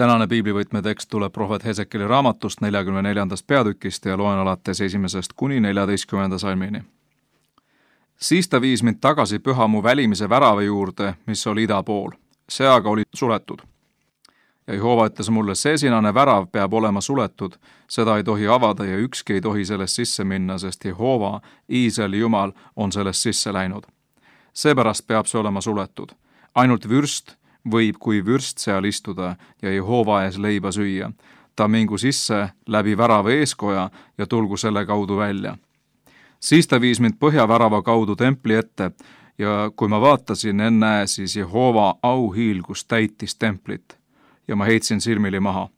Tänane piiblivõtmetekst tuleb prohvet Hesekeli raamatust 44. peatükist ja loen alates 1. kuni 14. salmini. Siis ta viis mind tagasi pühamu välimise värava juurde, mis oli ida pool. See aga oli suletud. Ja Jehova ütles mulle, see sinane värav peab olema suletud, seda ei tohi avada ja ükski ei tohi sellest sisse minna, sest Jehova, Iisraeli Jumal, on sellest sisse läinud. Seepärast peab see olema suletud. Ainult vürst võib kui vürst seal istuda ja Jehova ees leiba süüa. Ta mingu sisse läbi värava eeskoja ja tulgu selle kaudu välja. Siis ta viis mind põhjavärava kaudu templi ette ja kui ma vaatasin, ennäe, siis Jehova auhiilgus täitis templit ja ma heitsin silmili maha.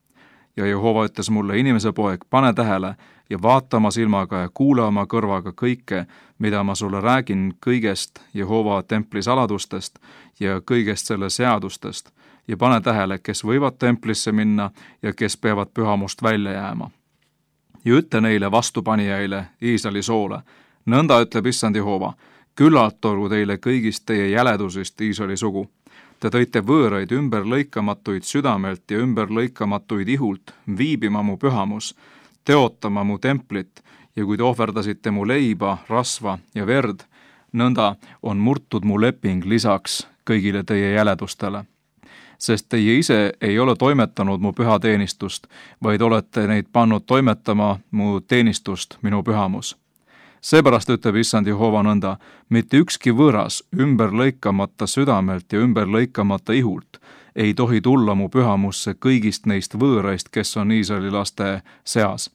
Ja Jehova ütles mulle, inimese poeg, pane tähele ja vaata oma silmaga ja kuule oma kõrvaga kõike, mida ma sulle räägin kõigest Jehova templi saladustest ja kõigest selle seadustest ja pane tähele, kes võivad templisse minna ja kes peavad pühamust välja jääma. Ja ütle neile vastupanijaile Iisraeli soole, nõnda ütleb issand Jehova, küllalt olgu teile kõigist teie jäledusest Iisraeli sugu. Te tõite võõraid ümberlõikamatuid südamelt ja ümberlõikamatuid ihult viibima mu pühamus, teotama mu templit ja kui te ohverdasite mu leiba, rasva ja verd, nõnda on murtud mu leping lisaks kõigile teie jäledustele. Sest teie ise ei ole toimetanud mu püha teenistust, vaid olete neid pannud toimetama mu teenistust minu pühamus. Seepärast ütleb issand Jehova nõnda, mitte ükski võõras ümberlõikamata südamelt ja ümberlõikamata ihult ei tohi tulla mu pühamusse kõigist neist võõraist, kes on Iisraeli laste seas.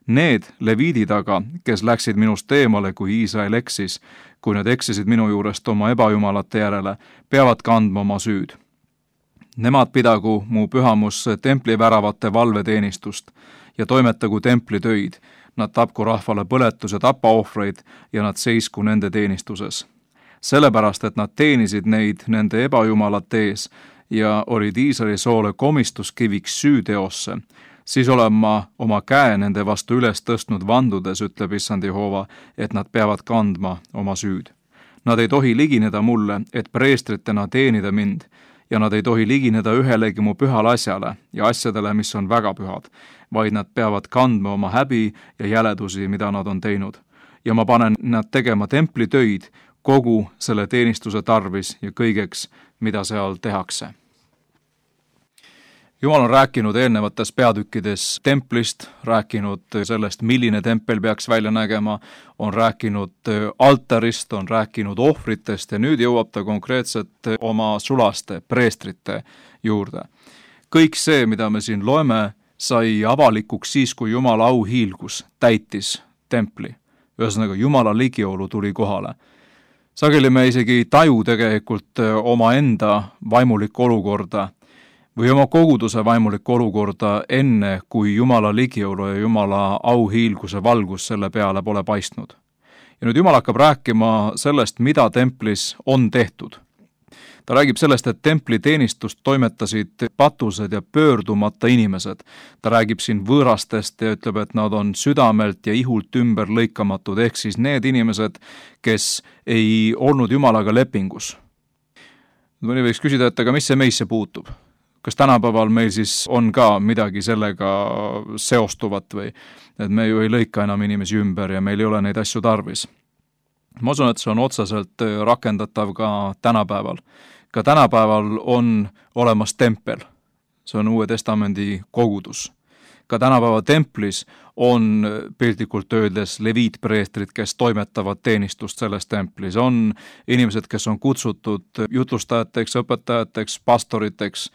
Need leviidid aga, kes läksid minust eemale, kui Iisrael eksis, kui nad eksisid minu juurest oma ebajumalate järele, peavad kandma oma süüd. Nemad pidagu mu pühamusse templiväravate valveteenistust ja toimetagu templitöid, nad tapku rahvale põletus- ja tapaohvreid ja nad seisku nende teenistuses. Sellepärast, et nad teenisid neid nende ebajumalate ees ja olid Iisraeli soole komistuskiviks süüteosse, siis olen ma oma käe nende vastu üles tõstnud vandudes, ütleb issand Jehova, et nad peavad kandma oma süüd. Nad ei tohi ligineda mulle, et preestritena teenida mind, ja nad ei tohi ligineda ühelegi mu pühale asjale ja asjadele, mis on väga pühad, vaid nad peavad kandma oma häbi ja jäledusi, mida nad on teinud. Ja ma panen nad tegema templitöid kogu selle teenistuse tarvis ja kõigeks, mida seal tehakse. Jumal on rääkinud eelnevates peatükkides templist, rääkinud sellest, milline tempel peaks välja nägema, on rääkinud altarist, on rääkinud ohvritest ja nüüd jõuab ta konkreetselt oma sulaste, preestrite juurde. Kõik see, mida me siin loeme, sai avalikuks siis, kui Jumala auhiilgus täitis templi. Ühesõnaga, Jumala ligiolu tuli kohale. Sageli me isegi ei taju tegelikult omaenda vaimulikku olukorda või oma koguduse vaimulikku olukorda enne, kui Jumala ligiolu ja Jumala auhiilguse valgus selle peale pole paistnud. Ja nüüd Jumal hakkab rääkima sellest, mida templis on tehtud. Ta räägib sellest, et templi teenistust toimetasid patused ja pöördumata inimesed. Ta räägib siin võõrastest ja ütleb, et nad on südamelt ja ihult ümber lõikamatud, ehk siis need inimesed, kes ei olnud Jumalaga lepingus. Mõni võiks küsida, et aga mis see meisse puutub? Kas tänapäeval meil siis on ka midagi sellega seostuvat või et me ju ei lõika enam inimesi ümber ja meil ei ole neid asju tarvis? Ma usun, et see on otseselt rakendatav ka tänapäeval. Ka tänapäeval on olemas tempel. See on Uue Testamendi kogudus. Ka tänapäeva templis on piltlikult öeldes leviitpreestrid, kes toimetavad teenistust selles templis. On inimesed, kes on kutsutud jutlustajateks, õpetajateks, pastoriteks,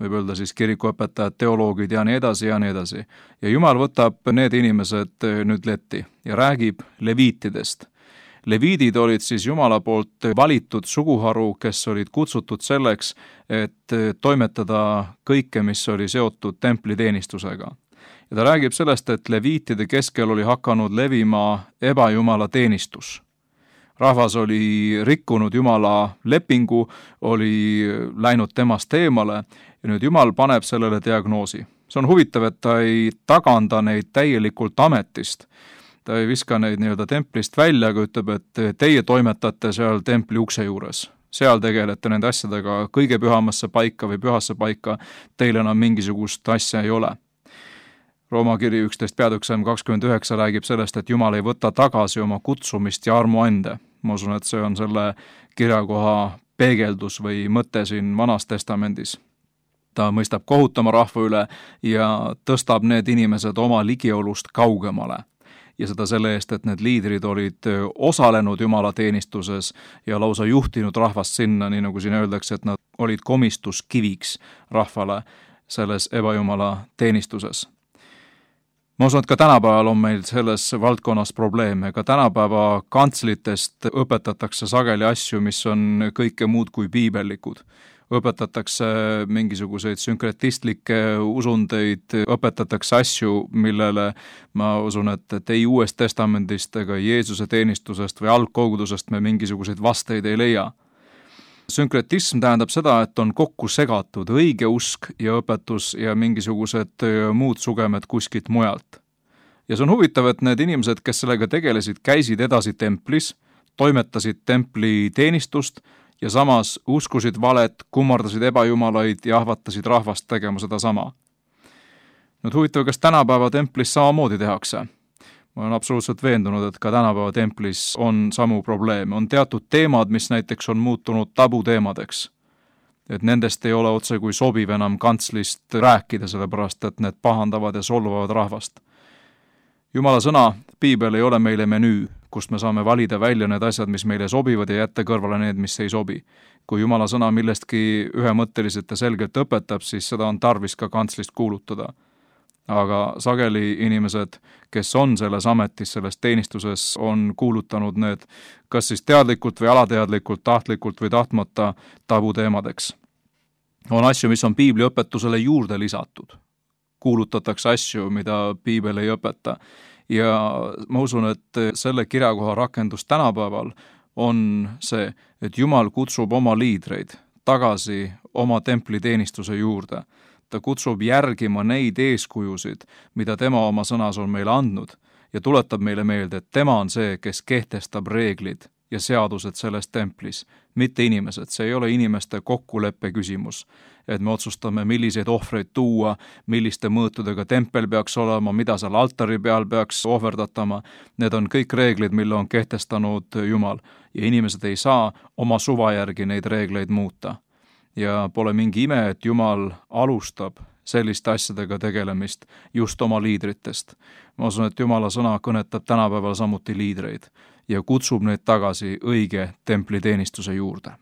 võib öelda siis kirikuõpetajad, teoloogid ja nii edasi ja nii edasi. Ja Jumal võtab need inimesed nüüd letti ja räägib leviitidest. Leviidid olid siis Jumala poolt valitud suguharu, kes olid kutsutud selleks, et toimetada kõike, mis oli seotud templiteenistusega. Ja ta räägib sellest, et leviitide keskel oli hakanud levima ebajumala teenistus. Rahvas oli rikkunud Jumala lepingu, oli läinud temast eemale ja nüüd Jumal paneb sellele diagnoosi. See on huvitav, et ta ei tagando neid täielikult ametist. Ta ei viska neid templist välja, aga ütleb, et teie toimetate seal templi ukse juures. seal tegelete nende asjadega kõige pühamasse paika või pühasse paika, teil enam mingisugust asja ei ole. Rooma kiri 11 peatükk 29 räägib sellest, et Jumal ei võta tagasi oma kutsumist ja armuande. Ma usun, et see on selle kirjakoha peegeldus või mõte siin Vanas Testamendis. Ta mõistab kohutama rahva üle ja tõstab need inimesed oma ligiolust kaugemale. Ja seda selle eest, et need liidrid olid osalenud Jumala teenistuses ja lausa juhtinud rahvast sinna, nii nagu siin öeldakse, et nad olid komistuskiviks rahvale selles ebajumala teenistuses. Ma usun, et ka tänapäeval on meil selles valdkonnas probleeme. Ka tänapäeva kantslitest õpetatakse sageli asju, mis on kõike muud kui piibellikud. Õpetatakse mingisuguseid sünkretistlikke usundeid, õpetatakse asju, millele ma usun, et ei Uuest Testamendist ega Jeesuse teenistusest või algkogudusest me mingisuguseid vasteid ei leia. Sünkretism tähendab seda, et on kokku segatud õige usk ja õpetus ja mingisugused muud sugemed kuskilt mujalt. Ja see on huvitav, et need inimesed, kes sellega tegelesid, käisid edasi templis, toimetasid templi teenistust ja samas uskusid valet, kummardasid ebajumalaid ja ahvatasid rahvast tegema seda sama. Nüüd huvitav, kas tänapäeva templis samamoodi tehakse? Ma olen absoluutselt veendunud, et ka tänapäeva templis on samu probleeme. On teatud teemad, mis näiteks on muutunud tabuteemadeks. Et nendest ei ole otse kui sobiv enam kantslist rääkida, sellepärast et need pahandavad ja solvavad rahvast. Jumala sõna, piibel ei ole meile menüü, kust me saame valida välja need asjad, mis meile sobivad ja jätta kõrvale need, mis ei sobi. Kui Jumala sõna millestki ühemõtteliselt ja selgelt õpetab, siis seda on tarvis ka kantslist kuulutada. Aga sageli inimesed, kes on selles ametis, selles teenistuses, on kuulutanud need kas siis teadlikult või alateadlikult, tahtlikult või tahtmata tabuteemadeks. On asju, mis on piibli õpetusele juurde lisatud. Kuulutatakse asju, mida piibel ei õpeta. Ja ma usun, et selle kirjakoha rakendus tänapäeval on see, et Jumal kutsub oma liidreid tagasi oma templiteenistuse juurde. Ta kutsub järgima neid eeskujusid, mida tema oma sõnas on meile andnud ja tuletab meile meelde, et tema on see, kes kehtestab reeglid ja seadused selles templis, mitte inimesed. See ei ole inimeste kokkuleppe küsimus, et me otsustame, milliseid ohvreid tuua, milliste mõõtudega tempel peaks olema, mida seal altari peal peaks ohverdatama. Need on kõik reeglid, mille on kehtestanud Jumal ja inimesed ei saa oma suva järgi neid reegleid muuta. Ja pole mingi ime, et Jumal alustab selliste asjadega tegelemist just oma liidritest. Ma usun, et Jumala sõna kõnetab tänapäeval samuti liidreid ja kutsub neid tagasi õige templiteenistuse juurde.